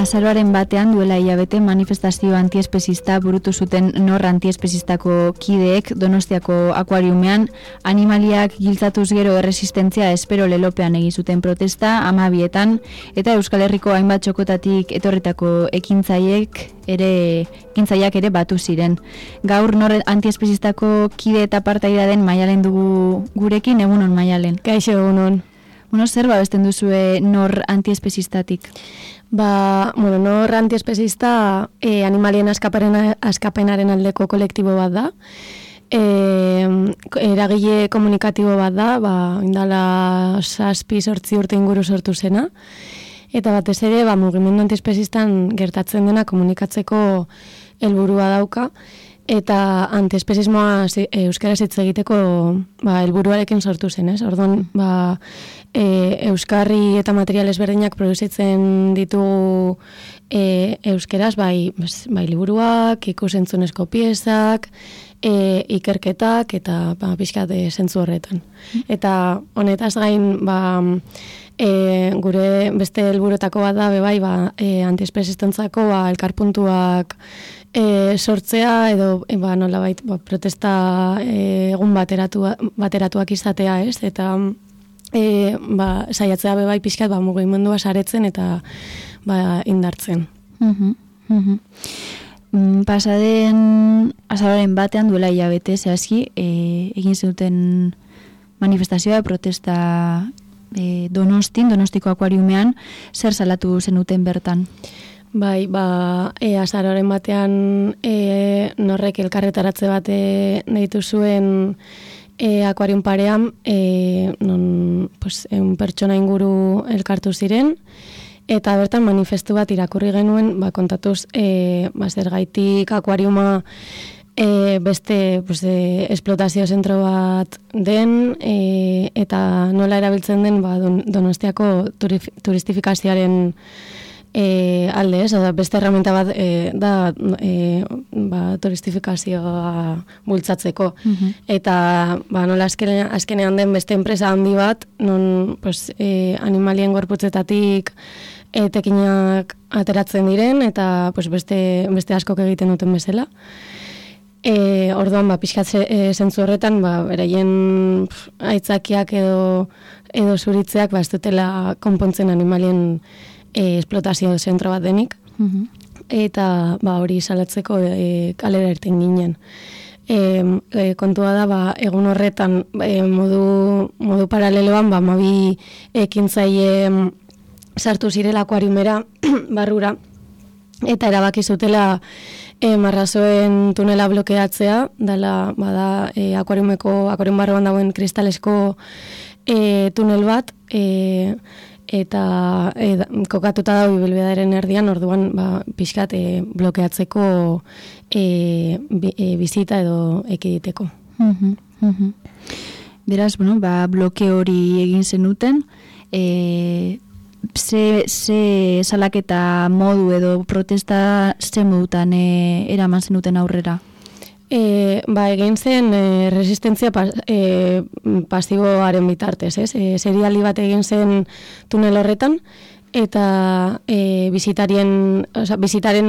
azaroaren batean duela hilabete manifestazio antiespezista burutu zuten nor antiespezistako kideek Donostiako akuariumean animaliak giltzatuz gero erresistentzia espero lelopean egin zuten protesta 12etan eta Euskal Herriko hainbat txokotatik etorritako ekintzaileak ere batu ziren. Gaur nor antiespezistako kide eta partaidea den Maialen dugu gurekin, egunon Maialen. Kaixo, egunon. Zer babesten duzue nor antiespezistatik? Nor antiespezista animalien askapenaren aldeko kolektibo bat da. Eragile komunikatibo bat da, indala 7-8 urte inguru sortu zena. Eta batez ere, mugimendu antiespezistan gertatzen dena komunikatzeko helburua dauka. Eta antiespezismoa euskaraz hitz egiteko helburuarekin sortu zen, ez? Orduan, euskarri eta material ezberdinak produzitzen ditugu euskaraz, bai liburuak, ikusentzunezko piezak, ikerketak eta pixkat zentzu horretan. Eta honetaz gain, gure beste helburuetako bat da, antiespezistentzako elkarpuntuak sortzea edo nolabait protesta egun bateratuak izatea, ez? Eta saiatzea bebai pixkat mugimendua saretzen eta indartzen. Pasaden azaroaren batean duela hilabete zehazki egin zenuten manifestazioa protesta Donostiko akuariumean, zer salatu zenuten bertan? Azaroaren batean norrek elkarretaratze bat deitu zuen akuarium parean, non pertsona inguru elkartu ziren, eta bertan manifestu bat irakurri genuen, kontatuz zergaitik akuariuma beste esplotazio zentro bat den, eta nola erabiltzen den Donostiako turistifikazioaren alde, ez? Beste herramienta bat da turistifikazioa bultzatzeko. Eta nola azkenean den beste enpresa handi bat, non animalien gorputzetatik tekinak ateratzen diren, eta beste askok egiten duten bezala. Orduan, pixkat zentzu horretan, beraien aitzakiak edo zuritzeak ez dutela konpontzen animalien esplotazio zentro bat denik. Eta hori salatzeko kalera irten ginen. Kontua da, egun horretan modu paraleloan, 12 ekintzaile sartu zirela akuariumera barrura, eta erabaki zutela marrazoen tunela blokeatzea, dela akuarium barruan dagoen kristalesko tunel bat, eta kokatuta da ibilbidearen erdian, orduan pixkat blokeatzeko bizita edo ekiditeko. Beraz, bloke hori egin zenuten, ze salaketa modu edo protesta ze modutan eraman zenuten aurrera? Egin zen resistentzia pasiboaren bitartez, ez? Serialdi bat egin zen tunel horretan, eta bizitaren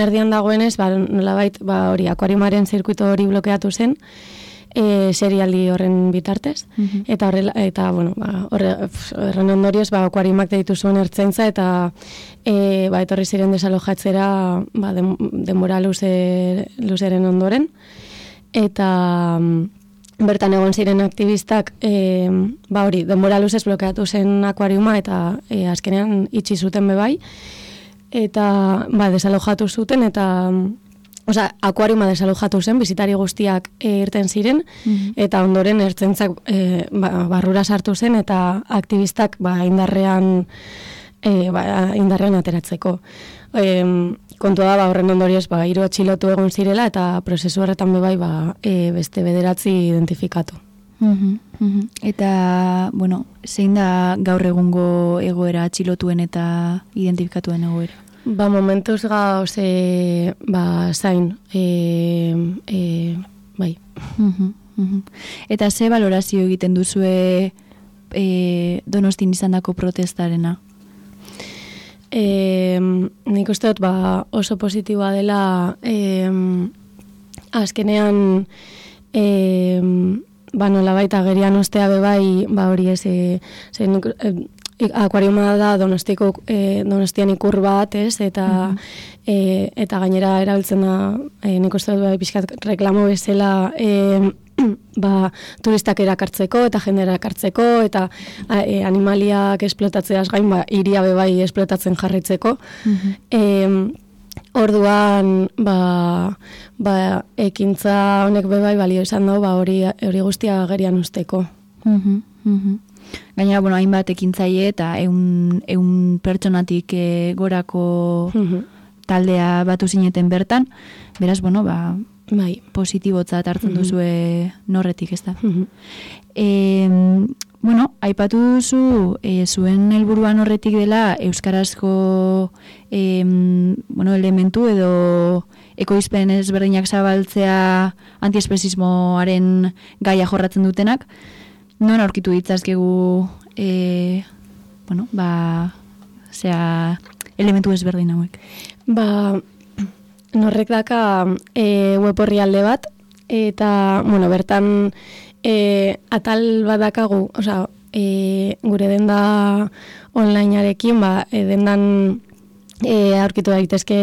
erdian dagoenez, nolabait hori akuariumaren zirkuito hori blokeatu zen, serialdi horren bitartez, eta horren ondorioz akuariumak deitu zuen ertzaintza, eta etorri ziren desalojatzera denbora luzeren ondoren, eta bertan egon ziren aktivistak denbora luzez blokeatu zen akuariuma, eta azkenean itxi zuten bebai, eta desalojatu zuten, eta akuariuma desalojatu zen, bizitari guztiak irten ziren, eta ondoren ertzaintzak barrura sartu zen, eta aktivistak indarrean ateratzeko. Kontua da, horren ondorioz, 3 atxilotu egon zirela, eta prozesu horretan bebai beste 9 identifikatu. Eta, zein da gaur egungo egoera atxilotuen eta identifikatuen egoera? Momentuz gauz, zain, bai. Eta ze valorazio egiten duzue Donostin izandako protestarena? nik uste dut oso positiboa dela azkenean nola baita gerian ostea bebai, hori ez, akuariuma da Donostian ikur bat, ez, eta gainera erabiltzen da, nik uste dut pixkat reklamo bezala turistak erakartzeko eta jende erakartzeko eta animaliak esplotatzeaz gain hiria bebai esplotatzen jarraitzeko. Orduan ekintza honek bebai balio izan dago hori guztia gerian usteko. Gainera, hainbat ekintzaile eta 100 pertsonatik gorako taldea batu zineten bertan, beraz, bai, positibotzat hartzen duzue norretik, ez da. Aipatu duzu, zuen helburuan horretik dela euskarazko elementu edo ekoizpen ezberdinak zabaltzea antiespezismoaren gaia jorratzen dutenak. Non aurkitu ditzazkegu elementu ezberdin hauek? Norrek daka web orrialde bat, eta, bertan atal bat dakagu, gure denda onlinearekin, dendan aurkitu daitezke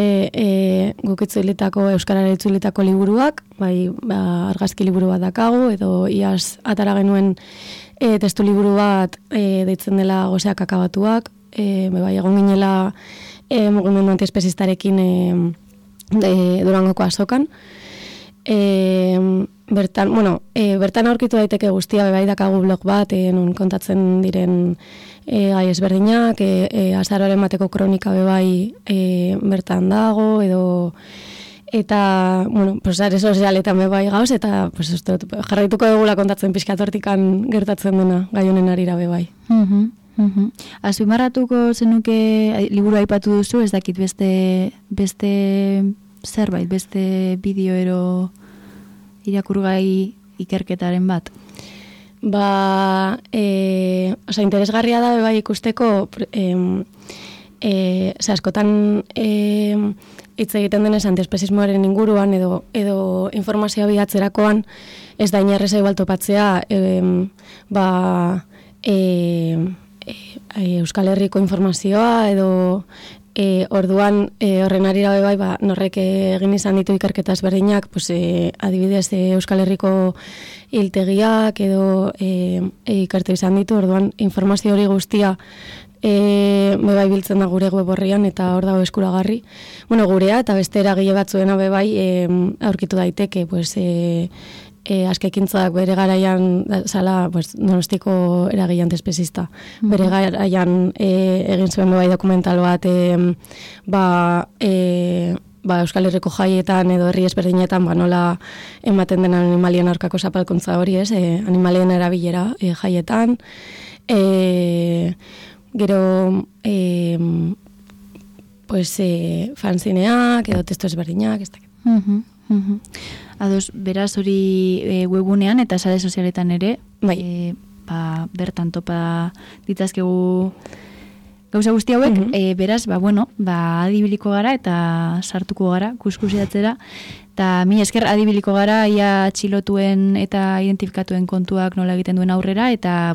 guk itzulitako, euskarara itzulitako liburuak, argazki liburu bat dakagu, edo iaz atara genuen testu liburu bat deitzen dela Goseak akabatuak, egon ginela mugimendu antiespezistarekin Durangoko azokan. Bertan aurkitu daiteke guztia, bebai dakagu blog bat, non kontatzen diren gai ezberdinak, azaroaren bateko kronika bebai bertan dago, eta, sare sozialetan bebai gauz, eta jarraituko dugula kontatzen pixkatortikan gertatzen dena gai honen arira bebai. Azpimarratuko zenuke liburu aipatu duzu, ez dakit beste zerbait, beste bideo irakurgai ikerketaren bat? Interesgarria da bebai ikusteko askotan hitz egiten denez antiespezismoaren inguruan edo informazioa bilatzerakoan ez da inerreza igual topatzea Euskal Herriko informazioa edo orduan horren arira bebai norrek egin izan ditu ikerketa ezberdinak, adibidez Euskal Herriko hiltegiak edo ikertu izan ditu, orduan informazio hori guztia bebai biltzen da gure web orrian eta hor dago eskuragarri. Gurea eta beste eragile batzuena bebai aurkitu daiteke, askekintzak bere garaian zala Donostiko eragile antiespezista. Bere garaian egin zuen bebai dokumental bat Euskal Herriko jaietan edo herri ezberdinetan nola ematen den animalien aurkako zapalkuntza hori, animalien erabilera jaietan. Gero fanzineak edo testu ezberdinak, ez dakit. Ados, beraz hori webunean eta sare sozialetan ere, bertan topa ditzazkegu gauza guzti hauek, beraz, adibiliko gara eta sartuko gara, kuskusiatzera, eta mi esker adibiliko gara, ia txilotuen eta identifikatuen kontuak nola egiten duen aurrera, eta,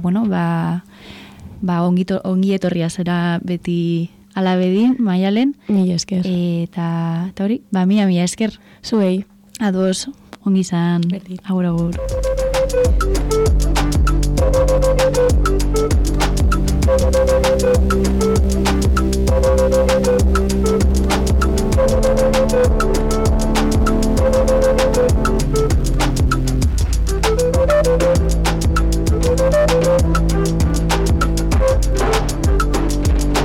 ongi etorria zera beti alabedin, Maialen. Mi esker. Eta hori, mila esker. Zuei. Ados, ongi zan. Agur, agur.